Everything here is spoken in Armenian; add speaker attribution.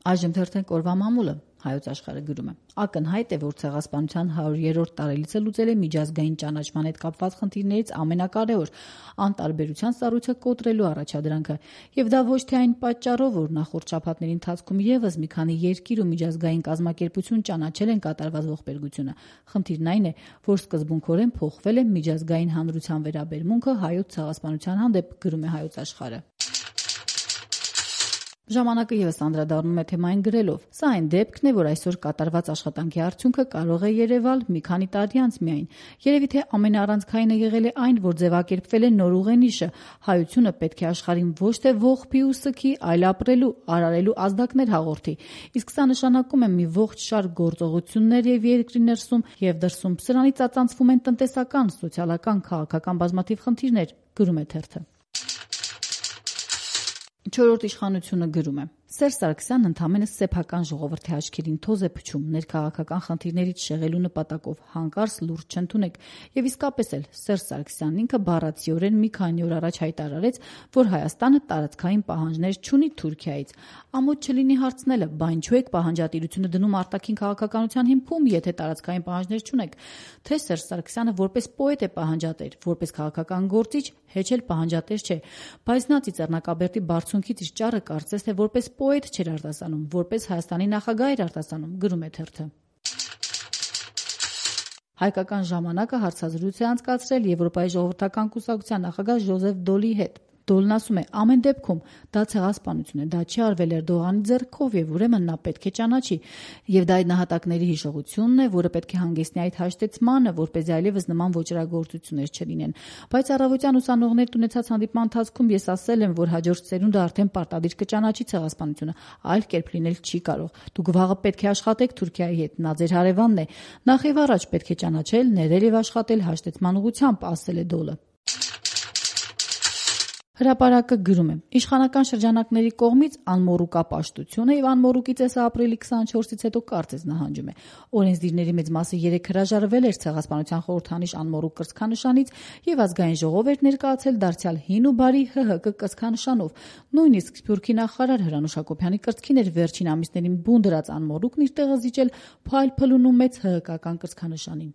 Speaker 1: Այժմ թերթենք օրվա մամուլը, Հայոց աշխարհը գրում է. ակնհայտ է, որ ցեղասպանության 100-րդ տարելիցը լուծել է միջազգային ճանաչման հետ կապված խնդիրներից ամենակարևոր անտարբերության սառույցը կոտրելու առաջադրանքը, եւ դա ոչ թե այն պատճառով, որ նախորդ շաբաթների ընթացքում եւս մի քանի երկիր ու միջազգային կազմակերպություն ճանաչել են կատարված ողբերգությունը։ Խնդիրն այն է, որ սկզբունքորեն փոխվել է միջազգային հանրության վերաբերմունքը հայոց ցեղասպանության հանդեպ, գրում է Հայոց աշխարհը։ Ժամանակը եւս անդրադառնում է թեմային գրելով. «Սա այն դեպքն է, որ այսօր կատարված աշխատանքի արդյունքը կարող է երևալ մի քանի տարի անց միայն։ Երևի թե ամենաառանցքայինը եղել է այն, որ ձևակերպվել է նոր ուղենիշը. հայությունը պետք է աշխարհին ոչ թե ողբի ու սգի, այլ ապրելու, արարելու ազդակներ հաղորդի։ Իսկ սա նշանակում է մի ողջ շարք գործողություններ եւ երկրի ներսում եւ դրսում սրանից ծածանցվում են տնտեսական, սոցիալական, քաղաքական բազմաթիվ խնդիրներ», գրում է թերթը։ Չորրորդ իշխանությունը գրում է. Սերժ Սարգսյանն ընդամենը սեփական ժողովրդի աչքերին թոզ է փչում, ներքաղաքական խնդիրներից շեղելու նպատակով հանկարծ լուրջ չընդունեք։ Եվ իսկապես էլ Սերժ Սարգսյանն ինքը բառացիորեն մի քանի օր առաջ հայտարարեց, որ Հայաստանը տարածքային պահանջներ չունի Թուրքիայից։ Ամոթ չլինի հարցնելը, բա ինչու եք պահանջատիրությունը դնում արտաքին քաղաքականության հիմքում, եթե տարածքային պահանջներ չունեք։ Թե Սերժ Սարգսյանը որպես պոետ է պահանջատեր, որպես քաղաքական գործիչ հեչ էլ պահանջատեր չէ, բայց նա Ծիծեռնակաբերդի բարձունքից իր ճառը կարծես թե որպես պոետ չէր արտասանում, որպես Հայաստանի նախագահ էր արտասանում, գրում է թերթը։ Հայկական ժամանակը հարցազրույց է անցկացրել Եվրոպայի ժողովրդական կուսակցության նախագահ Ժոզեֆ Դոլի հետ։ Դոլն ասում է. ամեն դեպքում դա ցեղասպանություն է, դա չի արվել Էրդողանի ձեռքով եւ ուրեմն նա պետք է ճանաչի։ Եվ դա այդ նահատակների հիշողությունն է, որը պետք է հանգեցնի այդ հաշտեցմանը, որպեսզի այլևս նման ոճրագործություններ չլինեն։ Բայց առավոտյան ուսանողներդ ունեցած հանդիպման ընթացքում ես ասել եմ, որ հաջորդ սերունդը արդեն պարտադիր կճանաչի ցեղասպանությունը, այլ կերպ լինել չի կարող։ Դուք վաղը պետք է աշխատեք Թուրքիայի հետ, նա ձեր հարևանն է։ Նախ եւ առաջ պետք է ճանաչել, ներել եւ աշխատել հաշտեցման ուղղությամբ, ասել է Դոլը։ Հրապարակը գրում է. իշխանական շրջանակների կողմից անմոռուկա պաշտությունը եւ անմոռուկի ծեսը ապրիլի 24-ից հետո կարծես նահանջում է։ Օրենսդիրների մեծ մասը երեկ հրաժարվել էր ցեղասպանության խորհրդանիշ անմոռուկ կրծքանշանից եւ ազգային ժողով էր ներկայացել դարձյալ հին ու բարի ՀՀԿ կրծքանշանով։ Նույնիսկ Սփյուռքի նախարար Հրանուշ Հակոբյանի կրծքին էր վերջին ամիսներին բուն դրած անմոռուկն իր տեղը զիջել փայլ փլունու մեծ ՀՀԿ-ական կրծքանշանին։